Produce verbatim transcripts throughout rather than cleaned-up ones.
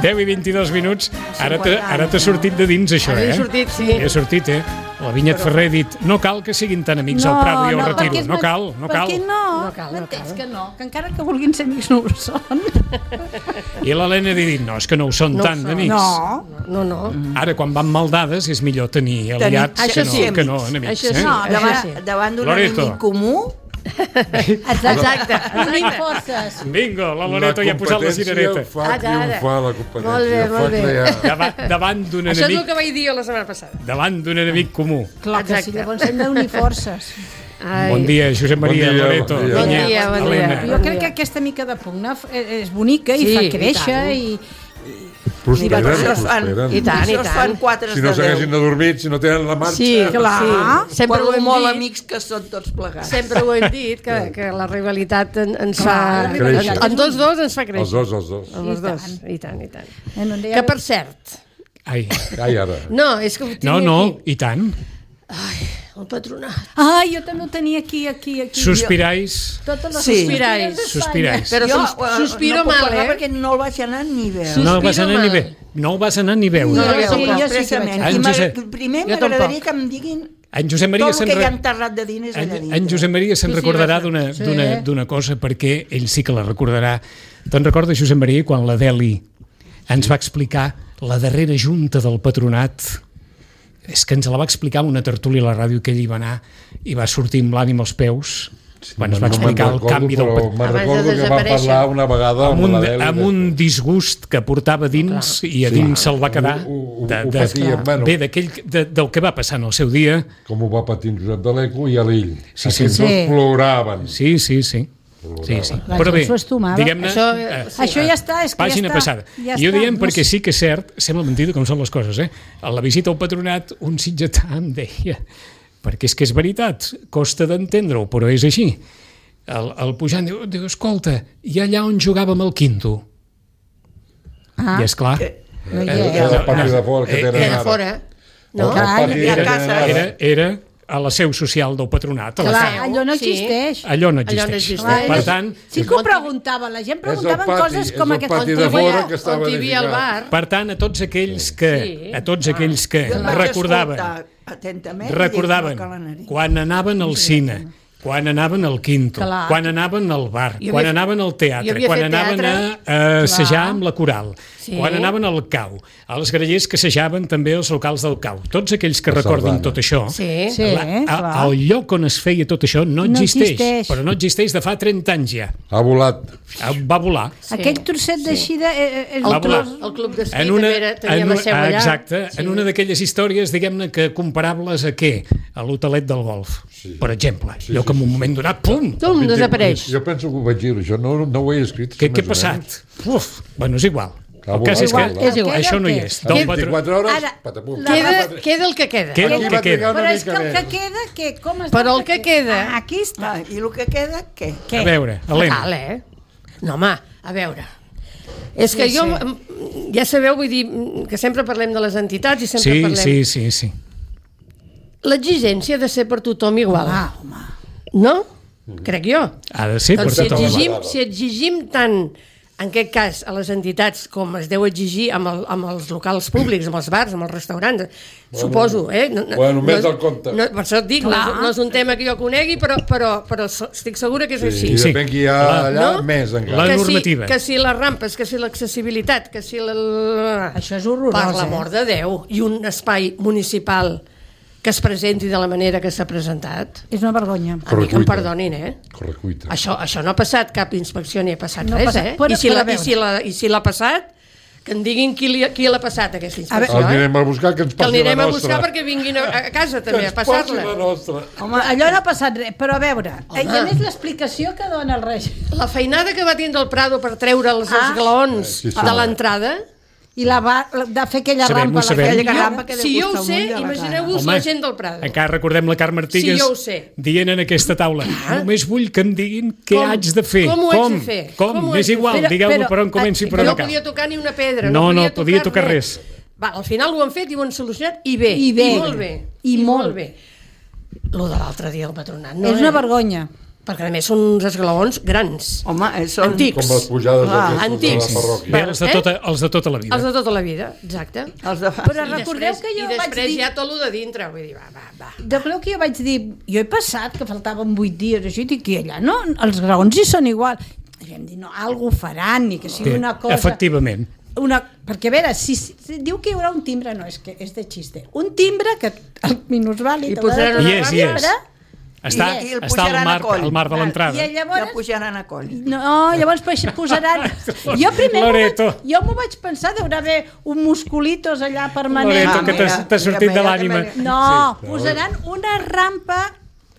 deu i vint-i-dos minuts. Ara t'ha sortit de dins, això, eh? Ara he sortit, sí. He sortit, eh? La Vinyet Ferrer ha dit, no cal que siguin tan amics al Prado i al Retiro. No cal, no cal. Per què no? No cal, no M'entens cal. que no? Que encara que vulguin ser amics no ho són. I l'Helena ha dit, no, és que no ho són No ho tant són. d'amics. No. No, no. Ara, quan van maldades, és millor tenir aliats Això que no, sí, que no amics. enemics. Això eh? sí. No, Això davant, sí. davant d'un Loreto. enemic comú, Exacte. Unim forces. Bingo, la Loreto ja ha posat la cirereta. fa Ara, ara. triomfar la competència. Molt bé, molt fa bé. crear... Davant, davant d'un Això és el enemic, que vaig dir jo la setmana passada. davant d'un enemic comú. Clar que sí, Exacte. llavors hem d'unir forces. Ai. Bon dia, Josep Maria, Bon dia, Loreto, bon dia. Bon Vinyet, dia, bon dia. Helena. Jo crec que aquesta mica de pugna és bonica i Sí, fa i créixer tant. i... Prosperen, això es fan, prosperen. I tant, i això es tant. fan quatre Si no de s'haguessin deu. adormit, si no tenen la marxa... Sí, Clar. sí. Sempre ho Quan hem molt dit. amics que són tots plegats. Sempre ho hem dit, que, que la rivalitat en, ens Clar, fa... la rivalitat En, en tots dos ens fa Els créixer. dos, els dos. En els I dos. tant. I tant, i tant. Eh, no en deia- Que per cert... Ai, Ai, ara. No, és que ho tinc no, no, aquí. i tant. El patronat. Ai, jo també ho tenia aquí, aquí, aquí. Sospirais, Totes les Sí. sospirais. sospirais. Però Jo sus- eh, sospiro no puc mal, parlar eh? perquè no el vaig anar ni veure. No el vas sospiro anar ni mal. bé. No el vas anar ni veure. No, No, jo jo sí, jo sí que expressament. vaig. I En m'agra- Josep- primer Jo m'agradaria tampoc. que em diguin En Josep Maria tot el se'n que hi ha re- enterrat de diners allà En, dintre. en Josep Maria se'n Tu sí recordarà vas d'una Sí. d'una d'una cosa, perquè ell sí que la recordarà. Te'n recordes, Josep Maria, quan l'Adeli ens va explicar la darrera junta del patronat? És que ens la va explicar en una tertúlia a la ràdio, que ell hi va anar i va sortir amb l'ànim als peus quan es va No me'n explicar el recordo, canvi del però patronat. me'n Abans de recordo que va desaparèixer. parlar una vegada Amb amb, un, l'Adeli. amb un disgust que portava dins i a Sí. dins se'l va quedar Ho- ho- de, ho de, patia, bueno. bé, d'aquell, de, del que va passar en el seu dia. Com ho va patir en Josep de l'Eco i a l'ell. Sí, sí. Aquells Sí. dos ploraven. Sí, sí, sí. Sí, sí. La Però gent bé, s'ho estomava. diguem-ne... Això, eh, Això ja està, és que Pàgina ja està. passada. Ja I ho està, diem no perquè sé. sí que és cert, sembla mentida com són les coses, eh? A la visita al patronat, un sitgetà em deia, perquè és que és veritat, costa d'entendre-ho, però és així. El, el pujant diu, diu, escolta, i allà on jugàvem el quinto? Ah, I és clar, no hi Era és. el pati de fora que Eh, tenen Era ara. fora. No? El pati i a que casa. tenen ara. era, era a la seu social del patronat. A la Clar, seu. allò no Sí. existeix. Allò no Allò no existeix. existeix. Per tant, Sí que ho preguntava, la gent preguntava pati, coses com és el aquesta. pati On de hi havia- fora que estava on hi havia el edificat. bar. per tant, a tots aquells que, Sí. a tots aquells que Jo el vaig recordaven, escoltar atentament i recordaven dic, no cal anar-hi. quan anaven al cine, quan anaven al quinto, Clar. quan anaven al bar, Jo quan havia- anaven al jo teatre, havia quan fet anaven teatre. a, a assajar Clar. amb la coral, Sí. quan anaven al cau, als grallers que assajaven també als locals del cau. Tots aquells que La recordin sardana. tot això, Sí. Sí, la, a, clar. el lloc on es feia tot això no, No existeix, existeix. però no existeix de fa trenta anys ja. Ha volat. Va volar. Sí. Aquell trosset d'així de... eh, eh, és Va un volar. tros- El club d'esquí En una, també era, tenia en la una, seu allà. exacte, Sí. en una d'aquelles històries, diguem-ne, que comparables a què? A l'hotelet del golf, Sí. per exemple. Sí, Allò sí, que en un sí. moment donat, pum! Tum, desapareix. Jo penso que ho vaig dir, això no, no ho he escrit. Què, més què o ha passat? menys. Uf, bueno, és igual. Ha El cas és que volat, ha volat. És igual. això no hi Què? és. A Del patro... vint-i-quatre hores, Ara, patapum. Queda, queda el que queda. Queda el Aquí que va trigar queda. una Però és que mica el que més. queda, què? Com es Però diu el que queda- Ah, aquí està. Ah, i el que queda, què? Què? A veure, Helena. Fatal, eh? No, home, a veure. És que Sí, jo, sí. mm, ja sabeu, vull dir, mm, que sempre parlem de les entitats i sempre Sí, parlem... sí, sí, sí. L'exigència ha de ser per tothom igual. Ah, home. No? Crec jo. Ha de ser per Doncs si tothom. exigim, si exigim tant, en aquest cas, a les entitats, com es deu exigir amb, el, amb els locals públics, amb els bars, amb els restaurants, bueno, suposo, eh? No, no, bueno, més no, del compte. No, per això et dic, no és, no és un tema que jo conegui, però, però, però so- estic segura que és Sí, així. I Sí. depèn qui hi ha La- allà, no? més La encara. que normativa. Si, que si les rampes, que si l'accessibilitat, que si la... Això és horrorós, Per eh? l'amor de Déu. I un espai municipal que es presenti de la manera que s'ha presentat. És una vergonya. A mi que em Correcuita. perdonin, eh? Correcuita. Això, això no ha passat cap inspecció ni ha passat No ha res, passat, eh? però- I si però a la- veure. I si la- i si l'ha passat, que em diguin qui, li, qui l'ha passat, aquesta inspecció, El eh? anirem a buscar, que ens Que passi la l'anirem a nostra. buscar perquè vinguin a, a casa Que també, ens a passi passar-la. la nostra. Home, allò no ha passat res, però a veure, eh, i a més l'explicació que dona el règim. La feinada que va tindre el Prado per treure els Ah. esglaons Sí, sí. de l'entrada, I la va, de fer aquella Sabem, rampa, ho sabem. aquella Jo- rampa que deu si jo ho costar un sé, ull de la imagineu-vos Home, la gent del Prado. Encara recordem la Carme Artigas Sí, jo ho sé. dient en aquesta taula, només vull que em diguin què Com? haig de fer. Com ho haig de fer? Com? Com ho És haig de igual, fer? digueu-me Però- per on comenci i per on no acaba. podia tocar ni una pedra, No, no, no podia tocar res. Va, al final ho han fet i ho han solucionat i bé, I bé. i molt bé. I molt. bé. Lo de l'altre dia del patronat, no? És una eh? vergonya. perquè a més són uns esglaons grans. Home, eh, són... Antics. Com les pujades Ah, aquestes antics. de la parròquia. Bé, els de, Eh? tota, els de tota la vida. Els de tota la vida, exacte. Els de... Però I recordeu després, que jo i vaig després dir... hi ha tot el de dintre, vull dir, va, va, va. Jo crec que jo vaig dir, jo he passat que faltaven vuit dies, així, i que allà no, els graons hi són igual. I vam dir, no, algú faran, ni que sigui Bé, una cosa... efectivament. Una, perquè a veure, si, si diu que hi haurà un timbre, no, és que és de xiste. Un timbre que el minusvàlid... I posaran una I és, i és. Està, I el està al pujaran a mar, coll. al mar de I l'entrada. llavors... Ja pujaran a coll. No, llavors posaran... Jo primer m'ho Loreto. vaig, jo m'ho vaig pensar, deurà haver un musculitos allà permanent. Loreto, Ah, que t'ha mira, t'ha sortit mira, de mira, l'ànima. mira. No, Sí, posaran una rampa...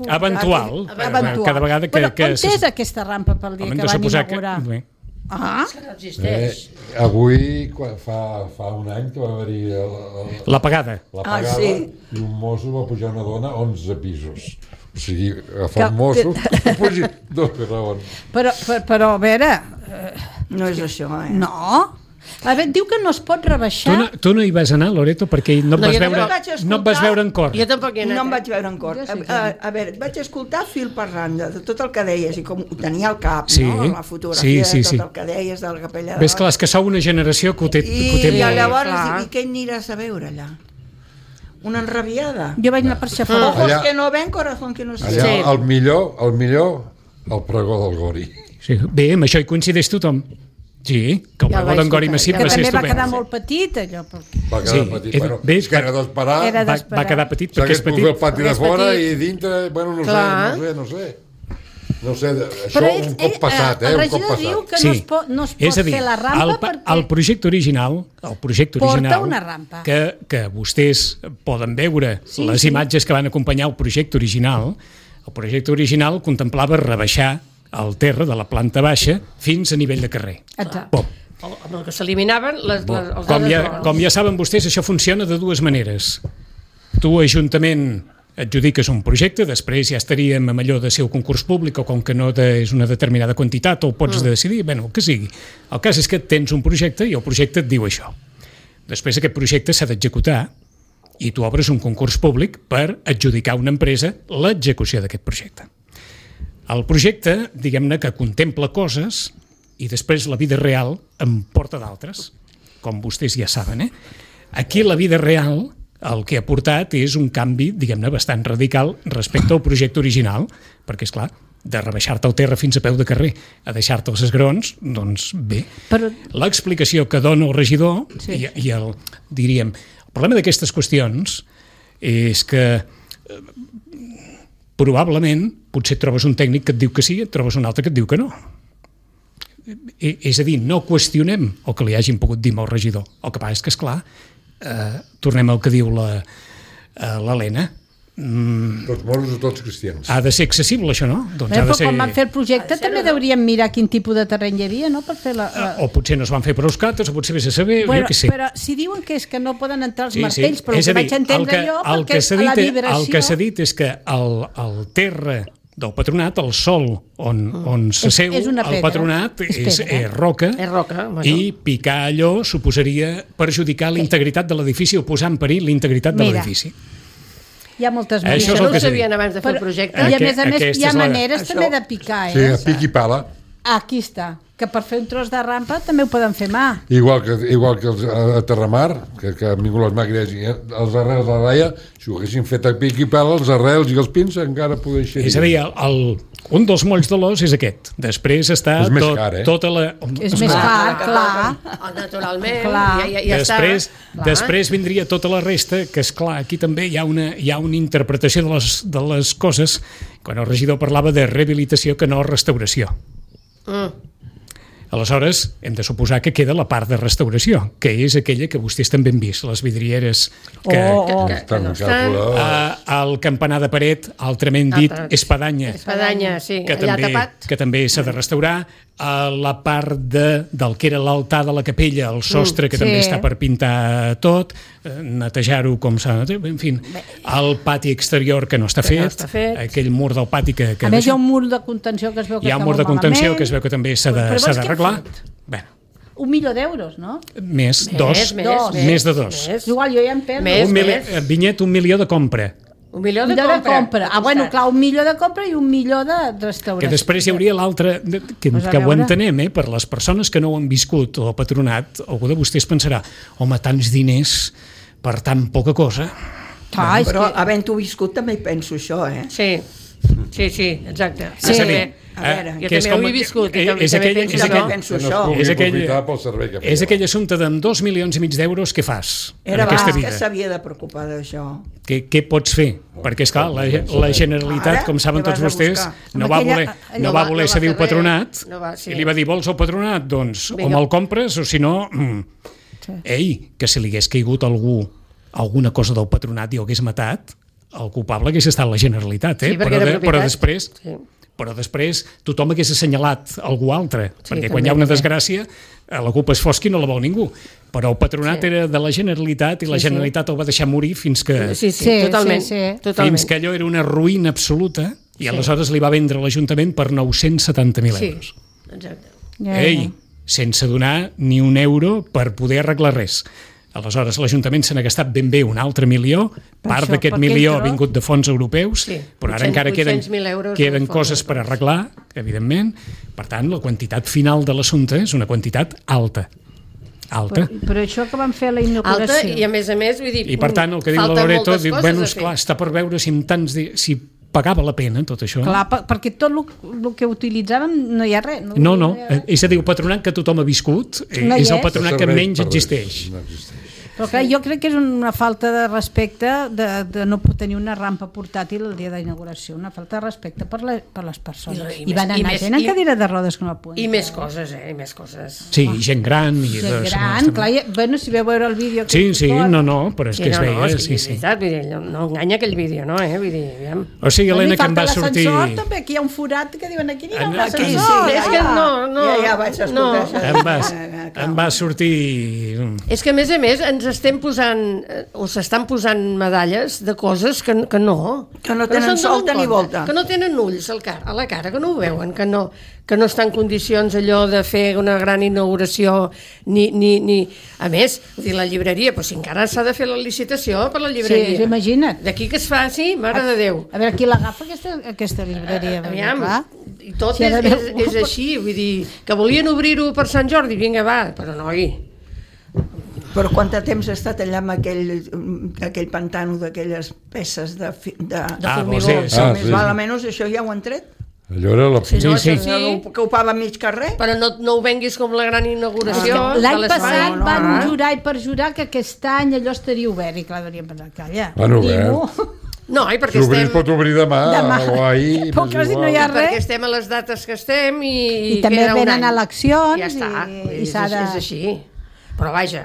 Eventual. Eventual. Cada vegada que... Però que on és aquesta rampa pel dia Hem que de van suposar que... inaugurar? Bé. Ah, Que no existeix. Eh, avui, quan- fa, fa un any que va haver-hi el- el- La pagada. la Ah, pagada sí. i un mosso va pujar una dona onze pisos. O sigui, agafar Que- un mosso que pugi dos graons. però, però, però a veure... Eh, No és això, eh? no. A veure, diu que no es pot Tu rebaixar... no, tu no hi vas anar, Loreto, perquè no et No, vas, jo veure, no vaig escoltar. no et vas veure en cor. Jo tampoc hi he anat. No em eh? vaig veure en cor. Jo sí A, que a, no. a veure, vaig escoltar fil per randa de tot el que deies i com ho tenia al cap, Sí, no? La fotografia, sí, sí, tot sí. el que deies de la capella de Ves, clar, és que sou una generació que ho té, I, que ho té i molt. llavors, clar. i què aniràs a veure allà? Una enrabiada? Jo vaig anar per xafar. Ojos Allà- que no ven, corazón que no se Allà, Sí. el millor, el millor, el pregó del Gori. Sí, bé, amb això hi coincideix tothom. Sí, que el Ja el pregó vaig d'en Gori escoltar, Massip ja Que va ser també va estupend. quedar molt petit, allò. Perquè... Va quedar Sí, petit, era- bueno, ves, és que era d'esperar, Era Va, d'esperar. va quedar petit perquè és s'hagués pogut fer el petit. pati de És fora petit. i dintre, bueno, no Clar. sé, no sé, no sé. No sé, això Però ell, un cop ell, passat, eh, el un cop regidor diu passat. que no es pot, no es pot és a dir, fer la rampa el, pa- perquè... el projecte original, el projecte Porta original una rampa. Que, que vostès poden veure Sí, les sí. imatges que van acompanyar el projecte original, el projecte original contemplava rebaixar el terra de la planta baixa fins a nivell de carrer. Exacte. Pop. Amb el que s'eliminaven les, les, els Com ja, altres com ja saben vostès, això funciona de dues maneres. Tu, Ajuntament, adjudiques un projecte, després ja estaríem amb allò de ser un concurs públic o com que no de, és una determinada quantitat o pots mm. decidir, bueno, el que sigui. El cas és que tens un projecte i el projecte et diu això. Després aquest projecte s'ha d'executar i tu obres un concurs públic per adjudicar a una empresa l'execució d'aquest projecte. El projecte, diguem-ne, que contempla coses i després la vida real en porta d'altres, com vostès ja saben. Eh? Aquí la vida real el que ha portat és un canvi, diguem-ne, bastant radical respecte al projecte original, perquè, és clar, de rebaixar-te el terra fins a peu de carrer a deixar-te els esgrons, doncs bé. Però L'explicació que dona el regidor Sí. i, i el, diríem, el problema d'aquestes qüestions és que eh, probablement potser et trobes un tècnic que et diu que sí, et trobes un altre que et diu que no. I, és a dir, no qüestionem el que li hagin pogut dir al regidor. El que passa és que, esclar, eh, tornem al que diu la, eh, l'Helena, mm, Tots moros o tots cristians. ha de ser accessible això, no? Doncs Bé, ha de però ser... quan van fer el projecte també deuríem mirar quin tipus de terreny hi havia, no?, per fer la... la... O potser no es van fer prou cates, o potser vés a saber, Bueno, jo què sé. però si diuen que és que no poden entrar els Sí, sí. martells, però el És a que dir, vaig entendre el que, jo, el perquè que s'ha la dit, vibració... el que s'ha dit és que el, el terra del patronat, el sol on, on s'asseu És- és una el pedra. patronat És és, pedra. és roca, És roca, bueno. i picar allò suposaria perjudicar l'integritat de l'edifici o posar en perill l'integritat de Mira, l'edifici. Hi ha moltes Això maneres. és Això el no que ho s'ha sabien dit. abans de fer el Però- projecte. I a Aqu- més a més aquesta hi ha és la- maneres Això- també de picar, Sí, eh? a pic i pala. Aquí està, que per fer un tros de rampa també ho poden fer mà. Igual que, igual que els, a, a Terramar, que, que han vingut les màquines i els arrels de la raia, si ho haguessin fet a pic i pala, els arrels i els pins encara podrien ser. És a dir, el, el, un dels molls de l'os és aquest. Després està És més tot, car, eh? tota la... És més car, clar. Oh, naturalment, Clar. ja, ja, ja després, està. després vindria tota la resta, que és clar, aquí també hi ha una, hi ha una interpretació de les, de les coses, quan el regidor parlava de rehabilitació que no restauració. Mm. Aleshores, hem de suposar que queda la part de restauració, que és aquella que vostès també han vist, les vidrieres que... Oh, Que, oh. que, que Estan no estan. calculades. Uh, el campanar de paret, altrament dit, Altre- espadanya, Espadanya, sí, que allà també, tapat. que també s'ha de restaurar, uh, la part de, del que era l'altar de la capella, el sostre, que sí. també està per pintar tot, uh, netejar-ho com s'ha de... En fi, el pati exterior que no està Que no fet, està fet. aquell mur del pati que... que A més hi ha un mur de contenció que es veu que hi ha un està mur de molt contenció malament. que es veu que també s'ha de- Però s'ha vols què d'arreglar. han fet? Bueno, Un milió d'euros, no? més, dos, més, dos. més de dos. Més. Igual jo ja em perdo. Més. Un mili... Vinyet, un milió de compra. Un milió de de compra. compra. Ah, bueno, clar, un milió de compra i un milió de restauració. Que després hi hauria l'altre, que, Pues a que ho veure. entenem, eh? Per les persones que no ho han viscut, o patronat, algú de vostès pensarà, home, tants diners per tan poca cosa. Clar, és Però que... havent-ho viscut també hi penso això, eh? Sí, sí, sí, exacte. Sí. És a dir, A veure, jo que és també com- ho he viscut. eh, i també, és també aquell- penso és que aquell- no. penso Que no això. es pugui És aquell- aprofitar pel servei que feia. És aquell assumpte d'amb dos milions i mig d'euros que fas en Era aquesta abans que vida. s'havia de preocupar d'això. Què, què pots fer? Perquè, esclar, la, la Generalitat, Ara, com saben què tots vas a vostès, buscar? no Amb va aquella- voler, allò no va- va voler no va cedir el fer res. patronat No va, sí. i li va dir, vols el patronat? Doncs o Vinga. me'l compres o si no... Mm. Ei, que si li hagués caigut algú alguna cosa del patronat i ho hagués matat, el culpable hagués estat la Generalitat, eh? Sí, perquè però, era de, però propietat. després... Sí. Però després tothom hagués assenyalat algú altre, Sí, perquè també, quan hi ha una també. desgràcia eh, la culpa és fosca i no la vol ningú. Però el patronat Sí. era de la Generalitat i la Sí, sí. Generalitat el va deixar morir fins que, Sí, sí, Sí, totalment. sí, sí. totalment. fins que allò era una ruïna absoluta i Sí. aleshores li va vendre l'Ajuntament per nou-cents setanta mil Sí, euros. exacte. Ja, Ei, sense donar ni un euro per poder arreglar res. Aleshores, l'Ajuntament se n'ha gastat ben bé un altre milió, Per part això, d'aquest per milió ha aquell tros. vingut de fons europeus, Sí, però ara vuit-cents encara queden, vuit-cents mil euros queden de fons coses per europeus. arreglar, evidentment. Per tant, la quantitat final de l'assumpte és una quantitat alta. Alta. Però, però això que van fer a la Alta inauguració... i a més a més, vull dir... I per tant, el que diu la falten Loreto, moltes diu, coses bueno, a esclar, fer. està per veure si, amb tants di... si pagava la pena tot això. Clar, per, perquè tot el que utilitzàvem no hi ha res. No, no, hi ha res. és a dir, el patronat que tothom ha viscut eh, No hi és el és. patronat que Serveix menys per res, existeix. No existeix. Però clar, jo crec que és una falta de respecte de, de no tenir una rampa portàtil el dia d'inauguració, una falta de respecte per, la, per les persones. I- I, i van més- i anar més- gent en i- cadira de rodes que no poden. I més coses, eh? I més coses. Sí, gent gran. I Gent de- gran, clar, i, bueno, si veu veure el vídeo... Sí, sí, que- no, no, però és que es no, veia, no, és, sí, és sí. veritat, vull dir, no, no enganya aquell vídeo, no? Eh? Vull dir, aviam. O sigui, Bueno, Helena, i que em falta va sortir... l'ascensor, també, aquí hi ha un forat que diuen aquí n'hi ha un Aquí, sí, ascensor. és que no, no, Ja, ja vaig escoltar no. això. Em va, Eh, eh, em va sortir... És que, a més a més, ens estem posant, eh, o s'estan posant medalles de coses que, que no. Que no tenen se'n donen solta ni compte, volta. Que no tenen ulls al car a la cara, que no ho veuen, que no, que no està en condicions allò de fer una gran inauguració, ni... ni, ni... A més, vull dir, la llibreria, però si encara s'ha de fer la licitació per la llibreria. Sí, imagina't. D'aquí que es faci, mare de Déu. A veure, qui l'agafa aquesta, aquesta llibreria? perquè, Aviam, clar, i tot si ha és, d'haver és, algú- és així, vull dir, que volien obrir-ho per Sant Jordi, vinga, va, però noi... Però quant de temps ha estat allà amb aquell, aquell pantano d'aquelles peces de... fi- de, de Ah, formigó. vols dir, sí. Ah, més sí, val, sí. almenys això ja ho han tret. Allò era la... Sí, no, Sí, això sí. sí, Que ocupava mig carrer. però no, no ho venguis com la gran inauguració Ah, de L'any l'espai. passat no, no, van no. jurar i perjurar que aquest any allò estaria obert i clar, hauríem pensat, calla. Van obert. ningú. No, i Si perquè obrir estem, es pot obrir demà, Demà. o ahir... Però m'és quasi no igual. hi ha perquè res. estem a les dates que estem i, I també queda un venen any. eleccions Ja està, i- vull dir, i s'ha és, de- és així. Però vaja,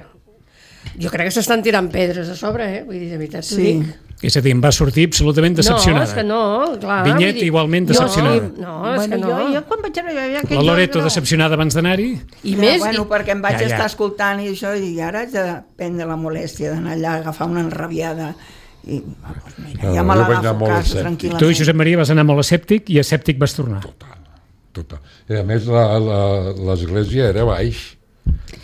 jo crec que s'estan tirant pedres a sobre, eh? Vull dir, de veritat t'ho Sí. dic. És a dir, em va sortir absolutament decepcionada. No, és que no, clar. Vinyet vull dir, igualment jo decepcionada. sí, No, és bueno, que no. jo, jo quan vaig veure jo, La Loreto decepcionada abans d'anar-hi? I Ja, més, bueno, i, perquè em vaig Ja, ja. estar escoltant i això, i dic, ara haig de prendre la molèstia d'anar allà a agafar una enrabiada. I, ah, doncs mira, No, ja jo me vaig anar l'agafo a molt casa, escèptic. tranquil·lament. Tu, Josep Maria, vas anar molt escèptic i escèptic vas tornar. Total. I a més, la- la- l'església era baix,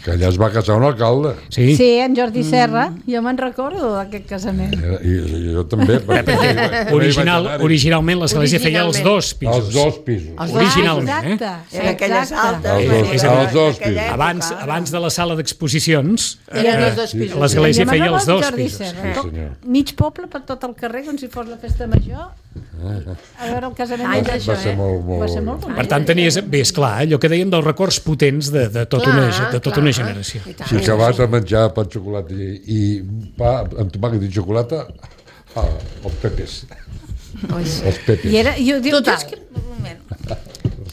que allà es va casar un alcalde. Sí? Sí, en Jordi Serra, jo me'n recordo d'aquest casament. Era, i, i jo també. perquè hi vaig Original, anar-hi. originalment l'església feia els Originalment. dos pisos. Els dos pisos. Els dos. Originalment, ah, eh? exacte, Era aquelles exacte. altes. Els dos- era els dos d'aquella pisos. època, Abans, ara. abans de la sala d'exposicions, eren eh, els dos pisos. l'església Jo me'n feia els recordo dos Jordi pisos. Serra, Sí, tot- senyor. mig poble per tot el carrer, com si fos la festa major. A veure el casament. Ai, de- d'això, Va ser eh? molt, molt... Va ser molt bonic. Per tant, tenies, bé, esclar, allò que dèiem dels records potents de, de, tota, una, Clar, de tota clar. una generació. I tant, Si i que vas sí. a menjar pa amb xocolata i, i pa amb tomàquet i xocolata, ah, els pepes. Oi, sí. Els pepes. I era, jo dic, Total. és que, un moment,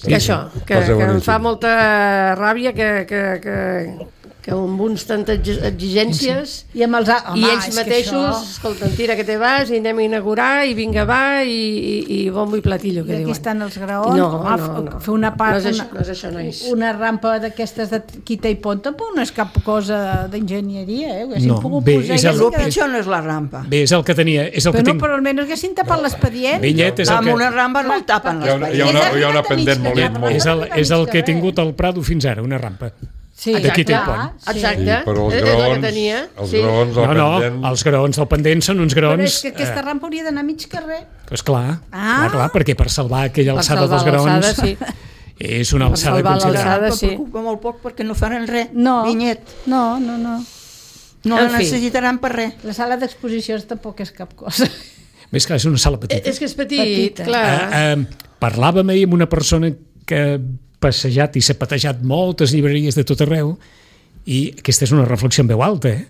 Que això, que, Va ser que em boníssim. fa molta ràbia que, que, que, que amb uns tantes exigències i amb els... a- Home, i ells és que mateixos, això- escolta, tira que te vas i anem a inaugurar i vinga va i, i, i bombo i platillo, que I aquí diuen. estan els graons, No, home, no, no. fer una part, No és això, una, no és això, nois. una rampa d'aquestes de quita i pont tampoc no és cap cosa d'enginyeria, eh? Ho haguessin No, pogut bé, posar és i el- El haguessin- pitjor no és la rampa. Bé, és el que tenia, és el Però que no, tinc... però almenys haguessin tapat l'expedient. Vinyet és el Amb que... una rampa no el tapen Hi ha una, hi ha una, hi ha una pendent molt, molt... És el, és el que he tingut al Prado fins ara, una rampa. Sí, D'aquí té el exacte. pont. Exacte. Sí, però els És el que graons, tenia. els Sí. graons, el No, no, pendent... els graons del pendent són uns Però graons... és que aquesta rampa hauria d'anar a mig carrer. Eh, esclar, Ah. clar, clar, perquè per salvar aquella Per alçada salvar dels graons l'alçada, sí. és una Per alçada salvar considerable. l'alçada. Però sí. preocupa molt poc perquè no faran res. No. Vinyet. No, no, no. No En la fi. necessitaran per res. La sala d'exposicions tampoc és cap cosa. Més que és una sala petita. És que és petit, Petita. clar. Eh, eh, parlàvem ahir amb una persona que ha passejat i s'ha patejat moltes llibreries de tot arreu i aquesta és una reflexió en veu alta, eh?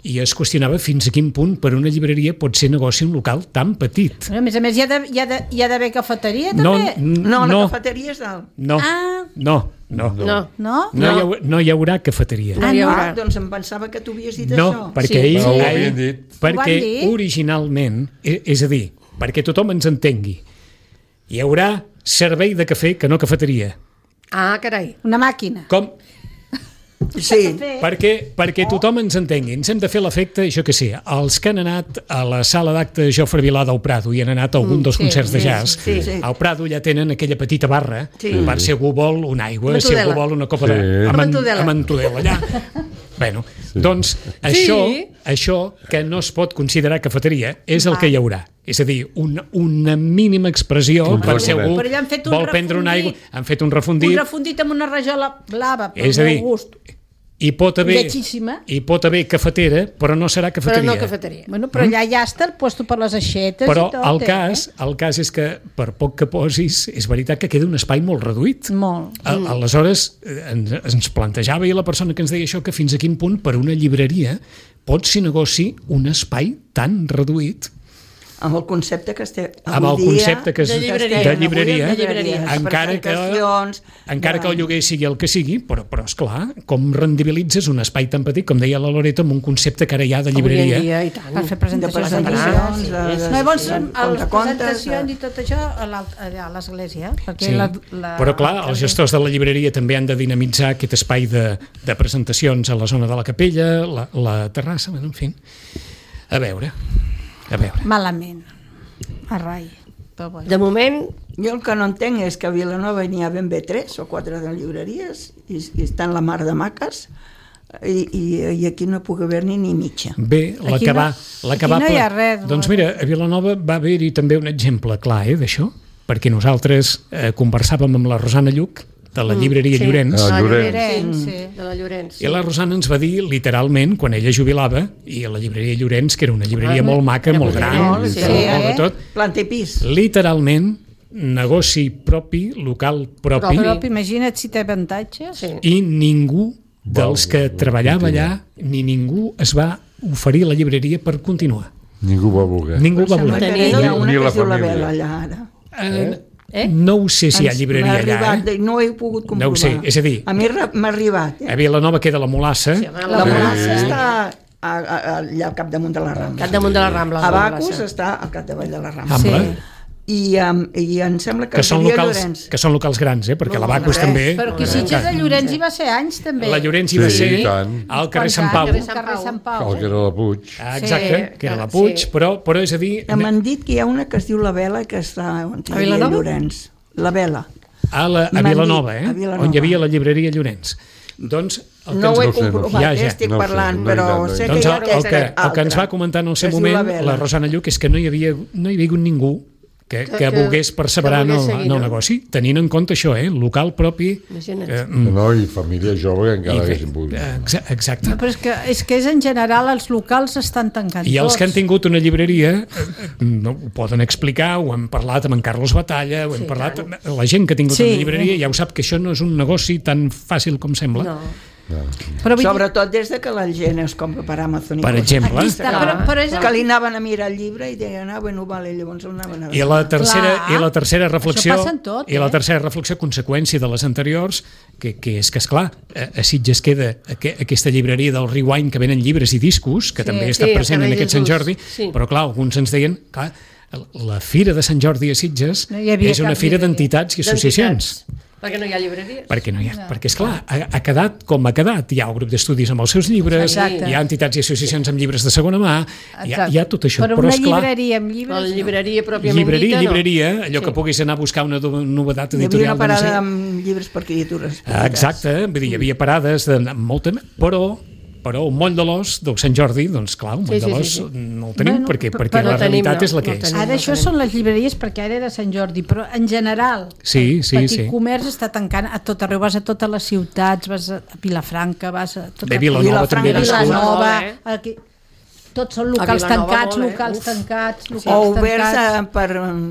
I es qüestionava fins a quin punt per una llibreria pot ser negoci un local tan petit. Però, a més a més, hi ha de- hi ha de- hi ha d'haver cafeteria, No, també? n- No, la no, cafeteria és dalt. no, Ah. no, no, No. No? No, hi haurà, no hi haurà cafeteria. No Ah, hi no? haurà. Ah, doncs em pensava que tu havies dit No, això. perquè Sí. ahir, Però ho ahir havien dit. perquè Ho van dir? originalment, e- és a dir, perquè tothom ens entengui, hi haurà servei de cafè que no cafeteria. Ah, carai. Una màquina. Com? Sí. Perquè, perquè tothom ens entengui, ens hem de fer l'efecte, jo que sé, els que han anat a la sala d'acte Jofre Vilà del Prado i han anat a algun dels sí, concerts de sí, jazz, sí, sí. al Prado ja tenen aquella petita barra Sí. per si algú vol una aigua, Una si algú tudela. vol una copa Sí. de... Una amb, tudela. amb entudela allà. Bueno, doncs això, això que no es pot considerar cafeteria és el que hi haurà. És a dir, una, una mínima expressió Un per si refundit. algú Però ja han fet un vol prendre una aigua. refundit. Han fet un Un refundit refundit amb una rajola blava, per És a dir, molt gust. i pot haver, Lletjíssima. i pot haver cafetera, però no serà Però cafeteria. no cafeteria. Bueno, però allà ja està el puesto per les aixetes Però i tot, el eh? cas, el cas és que per poc que posis, és veritat que queda un espai molt reduït. Molt. A, aleshores, eh, ens, ens plantejava i la persona que ens deia això que fins a quin punt per una llibreria pot ser negoci un espai tan reduït Amb el concepte que estem amb el avui dia, concepte que és de llibreria. de llibreria, De llibreria. encara que, presentacions, encara que el de- lloguer sigui el que sigui, però, però esclar, com rendibilitzes un espai tan petit, com deia la Loreto, amb un concepte que ara hi ha de llibreria. Avui en dia, i tant. Per fer de presentacions de, presentacions, llibres. de, de, No, llavors, de, a les contacontes, presentacions de- i tot això a l'alt- allà a l'església. Perquè Sí. la, la, Però clar, els gestors de la llibreria també han de dinamitzar aquest espai de, de presentacions a la zona de la capella, la, la terrassa, bueno, en fi. A veure, a veure. Malament. A rai. Però bueno. De moment, Jo el que no entenc és que a Vilanova n'hi ha ben bé tres o quatre de llibreries i, i estan la mar de maques i, i, i aquí no puc haver-n'hi ni mitja. Bé, la Aquí que no- va... La que aquí va no hi ha ple- res, Doncs no. mira, a Vilanova va haver-hi també un exemple clar eh, d'això, perquè nosaltres eh, conversàvem amb la Rosana Lluc, de la llibreria sí. Llorenç, Ah, de la Llorenç. Llorenç, sí. de la Llorenç. i la Rosana ens va dir literalment, quan ella jubilava, i a la llibreria Llorenç, que era una llibreria molt maca, era molt molt gran, molt, molt sí, de eh? tot, Planta i pis. literalment, negoci propi, local propi, Però imagina't si té avantatges. Sí. i ningú dels que treballava allà, ni ningú es va oferir a la llibreria per continuar. Ningú va voler. Ningú va Sembla voler. que hi ha una Ni que la es diu la família. Vela allà ara. Eh, Eh? No ho sé si hi ha Ens llibreria m'ha allà, arribat, eh? de- No ho he pogut comprovar. No ho sé, és a dir- A mi re- m'ha arribat. A Eh? Vilanova queda la Molassa, Sí, home, La la Molassa Molassa està a, a, allà al capdamunt de la Rambla. Cap damunt de la Rambla. A la Bacus Molassa. està al capdavall de la Rambla. Ambla, Sí. I, um, I em sembla que que són seria locals, Llorenç. que són locals grans, eh? perquè No, la Bacus no, també... Però que Sitges de Llorenç hi va ser anys, també. La Llorenç hi va Sí, ser i tant. al carrer Quants Sant anys? Pau. Al carrer Sant Pau. El que era la Puig. Ah, exacte, Sí, que era la sí. Puig, però, però és a dir... Ja m'han dit que hi ha una que es diu La Vela que està on hi A havia Vilanova? Llorenç. La Vela. A, la, a M'han Vilanova, dit, eh? a Vilanova. On hi havia la llibreria Llorenç. Doncs el que No ens, ho he No sé, no sé. comprovat, Ja, eh, ja. estic No ho sé, parlant, no he però anat, no he sé anat. que doncs hi el, ha el, aquesta que, el que ens altra, va comentar en el seu que es diu moment La Vela. la Rosana Lluc és que no hi havia, no hi havia hagut ningú que, que, Que- volgués perseverar que en, volgués el, seguir, en el no? negoci, tenint en compte això, eh? Local propi... Imagina't. Eh, mm, No, i família jove que encara i- haguessin pogut. eh, exa- exacte. No, però és que, és que és en general els locals estan tancant I els tots. que han tingut una llibreria eh, eh, no, ho poden explicar, ho hem parlat amb en Carlos Batalla, ho hem Sí, parlat... La gent que ha tingut Sí. una llibreria ja ho sap que això no és un negoci tan fàcil com sembla. No. Però vull dir, Sobretot des de que la gent es compra per Amazon. i Per coses. exemple. aquí està, però, però és Que li anaven a mirar el llibre i deien, ah, bueno, vale, llavors el anaven a I veure. la tercera, Clar. i la tercera reflexió Això passa en tot, i la eh? tercera reflexió conseqüència de les anteriors que, que és que esclar, a, a Sitges queda aqu aquesta llibreria del Rewind que venen llibres i discos, que Sí. també està Sí, el present en carrer aquest Sant Jesús. Jordi, Sí. però clar, alguns ens deien clar, la Fira de Sant Jordi a Sitges No hi havia és una cap fira llibreria. d'entitats i associacions. Perquè no hi ha llibreries. Perquè no hi ha, perquè esclar, ha, ha quedat com ha quedat. Hi ha el grup d'estudis amb els seus llibres, Exacte. hi ha entitats i associacions amb llibres de segona mà, hi ha, hi ha tot això. Però, però una esclar, llibreria amb llibres... La llibreria pròpiament llibreria, dita, no. llibreria, allò Sí. que puguis anar a buscar una do- novedat Hi havia editorial. una parada de no sé- amb llibres per criatures. Ah, exacte, vull dir, hi havia parades de molta... Però, però un moll de l'os del Sant Jordi, doncs clar, un moll Sí, sí, de l'os sí, sí. no el tenim Bueno, perquè, però- perquè però la no tenim, realitat no, és la que no és. tenim. Ara això són les llibreries perquè ara era Sant Jordi, però en general Sí, sí, el petit sí. comerç està tancant a tot arreu, vas a totes les ciutats, vas a Vilafranca, vas a... Tot Bé, Vilanova també Vilafranca, nascut. Vilanova, Molt, eh? aquí... Tots són locals A Vilanova tancats, molt, eh? locals Uf. tancats, O locals oberts tancats. a, per,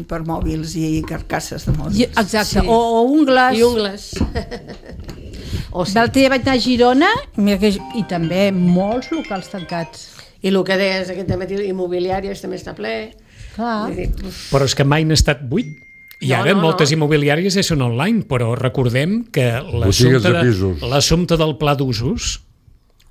per mòbils i carcasses de mòbils. I, exacte, Sí. o, o ungles. I ungles. o sí. L'altre dia vaig anar a Girona mira que, i també molts locals tancats. I el que deies aquest matí, immobiliàries també està ple. Clar. Vull dir, uf, Però és que mai n'ha estat buit. I No, ara no, moltes no. immobiliàries ja són online, però recordem que Botigues l'assumpte de de, pisos. l'assumpte del pla d'usos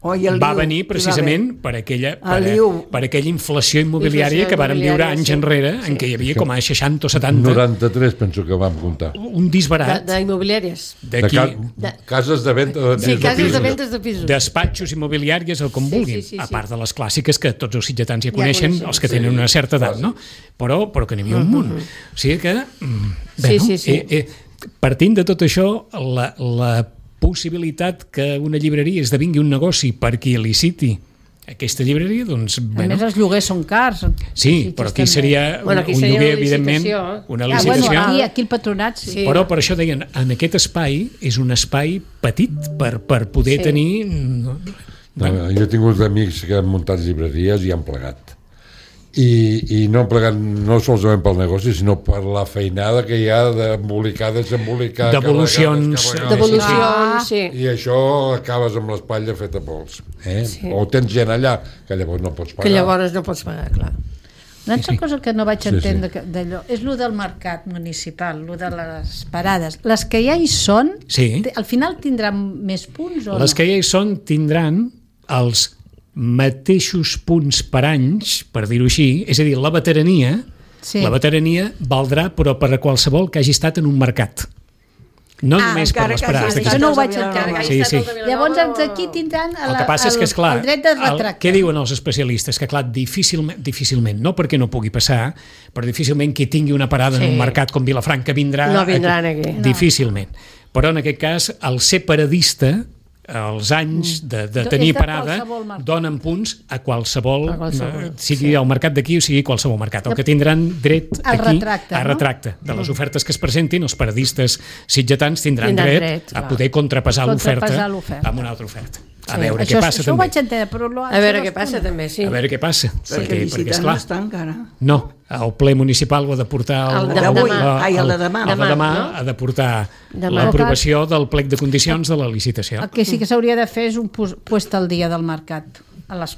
Oh, i el va Liu, venir hi va precisament haver. per aquella, per, El Liu. per aquella inflació immobiliària Inflació que vàrem viure immobiliària, anys sí. enrere, en què hi havia com a seixanta o setanta, noranta-tres penso que vam comptar. un de- disbarat d'immobiliàries. De d'aquí, ca De- cases de venda de, Sí, de cases pisos. de ventes de pisos. despatxos immobiliàries o com Sí, vulguin, sí, sí, a sí. part de les clàssiques que tots els sitgetans ja Ja coneixen, coneixem, els que sí. tenen una certa edat, no? Però, però que n'hi havia un munt. O sigui que, mm, Sí, bueno, sí, sí. Eh, eh, partint de tot això, la, la possibilitat que una llibreria esdevingui un negoci per qui liciti aquesta llibreria, doncs, A bueno, més, els lloguers són cars. sí, però aquí seria un, Bueno, aquí un seria lloguer, una evidentment, licitació. una Ah, licitació, bueno, aquí, aquí el patronat, sí. Sí. però per això deien, en aquest espai és un espai petit per, per poder Sí. tenir... no, No, jo he tingut amics que han muntat llibreries i han plegat. I, i no han plegat no solament pel negoci, sinó per la feinada que hi ha d'embolicar, desembolicar, Devolucions. carregar, descarregar. Devolucions, sí. I això acabes amb l'espatlla feta pols. Eh? Sí. O tens gent allà, que llavors no pots pagar. Que llavors no pots pagar, clar. Una altra cosa que no vaig Sí, entendre sí. que- d'allò és lo del mercat municipal, lo de les parades. Les que ja hi són, Sí. te- al final tindran més punts o Les no? que ja hi són tindran els mateixos punts per anys, per dir-ho així, és a dir, la veterania, Sí. la veterania valdrà però per a qualsevol que hagi estat en un mercat. No Ah, només per encara les que parades. hagi d'aquí. Això no ho vaig Vilanova. entendre. Sí, sí. Llavors, els d'aquí tindran El la, que passa és que, esclar, el dret de el, retracte. què diuen els especialistes? Que, clar, difícilment, difícilment, no perquè no pugui passar, però difícilment qui tingui una parada Sí. en un mercat com Vilafranca vindrà... No vindran aquí. No. Difícilment. Però en aquest cas, el ser paradista, els anys de, de És tenir de parada qualsevol mercat. donen punts a qualsevol, A qualsevol, eh, sigui el mercat d'aquí o sigui qualsevol mercat. El que tindran dret Al aquí, retracte, a no? retracte de les ofertes que es presentin, els paradistes sitgetans tindran, Tindran dret, dret, a clar. poder contrapesar l'oferta Contrapesar l'oferta. amb una altra oferta. A Sí. veure això, què passa això ho també. vaig entendre, però... Lo, A veure això què passa responde. també, sí. A veure què passa. Perquè Perquè, perquè licitant esclar, no està encara. no, el ple municipal ho ha de portar... El de d'avui. la- Ai, el de demà. El de Demà, demà no? ha de portar Demà. l'aprovació del plec de condicions de la licitació. El que sí que s'hauria de fer és un pos- puest al dia del mercat, a les,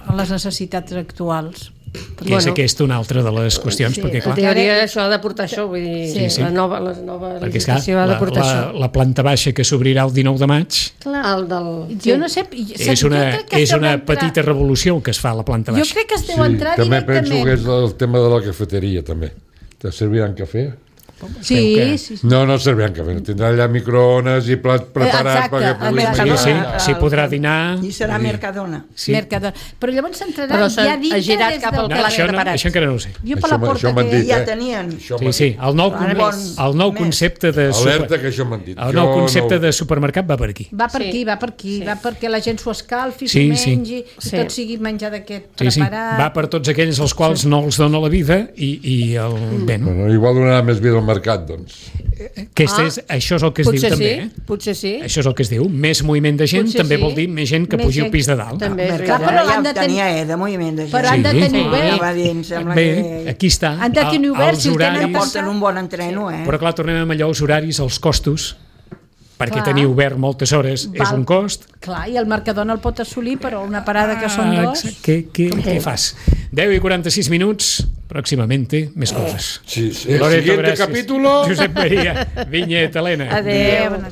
a les necessitats actuals. Que és Bueno. aquesta una altra de les qüestions, Sí, perquè En clar, teoria això ha de portar això, vull dir, Sí, sí. la nova, la nova perquè és clar, licitació ha de la, portar la, això. la planta baixa que s'obrirà el dinou de maig El del... Jo no sé... és una, és una petita revolució que es fa a la planta Jo baixa. crec que es deu Sí, entrar també directament. penso que és el tema de la cafeteria, també. Te serviran cafè? Sí, que- sí, sí. No, no serviran cafè. Tindran allà microones i plats preparats exacte, perquè puguis el Sí, menjar. sí, Mercadona. s'hi podrà dinar. I serà Mercadona. Sí. Mercadona. Però llavors s'entrarà Però s'ha- ja dintre ha girat des cap del al No, pla això, no, preparat. això encara no ho sé. Jo per Això la m'ha- porta això m'han que... dit, Ja eh? tenien. Això Sí, m'han sí, dit. el nou, Ara con- més. el nou Més. concepte de Alerta que això m'han dit. el Jo nou concepte no- de supermercat va per aquí. Va per Sí. aquí, va per aquí, Sí. va perquè la gent s'ho escalfi, Sí, s'ho sí. mengi, Sí. que tot sigui menjar d'aquest Sí, sí, preparat. va per tots aquells als quals no els dona la vida i, i el, bé, no? Bueno, igual donarà més vida al mercat, doncs. Aquest Ah. és, això és el que es Potser diu sí, també. Eh? potser sí. Això és el que es diu. Més moviment de gent Potser també sí. vol dir més gent que Més pugi al gent. pis de dalt. També és Clar, veritat. però ja han de tenir- tenia, eh, de moviment de gent. Però han de Sí. tenir Sí. obert. Va dir, em sembla Bé, que... aquí està. Han de tenir El- obert, els si el tenen Ja horaris, porten un bon entreno, eh? però clar, tornem a allò, els horaris, els costos, perquè Clar. tenir obert moltes hores és Val. un cost. Clar, i el Mercadona el pot assolir, però una parada que són Ah, dos... exacte. Què, què, què fas? deu i quaranta-sis minuts, pròximamente, més coses. Sí, sí. Loreto, Siguiente gràcies. capítulo. Josep Maria, Vinyet, Helena. Adéu.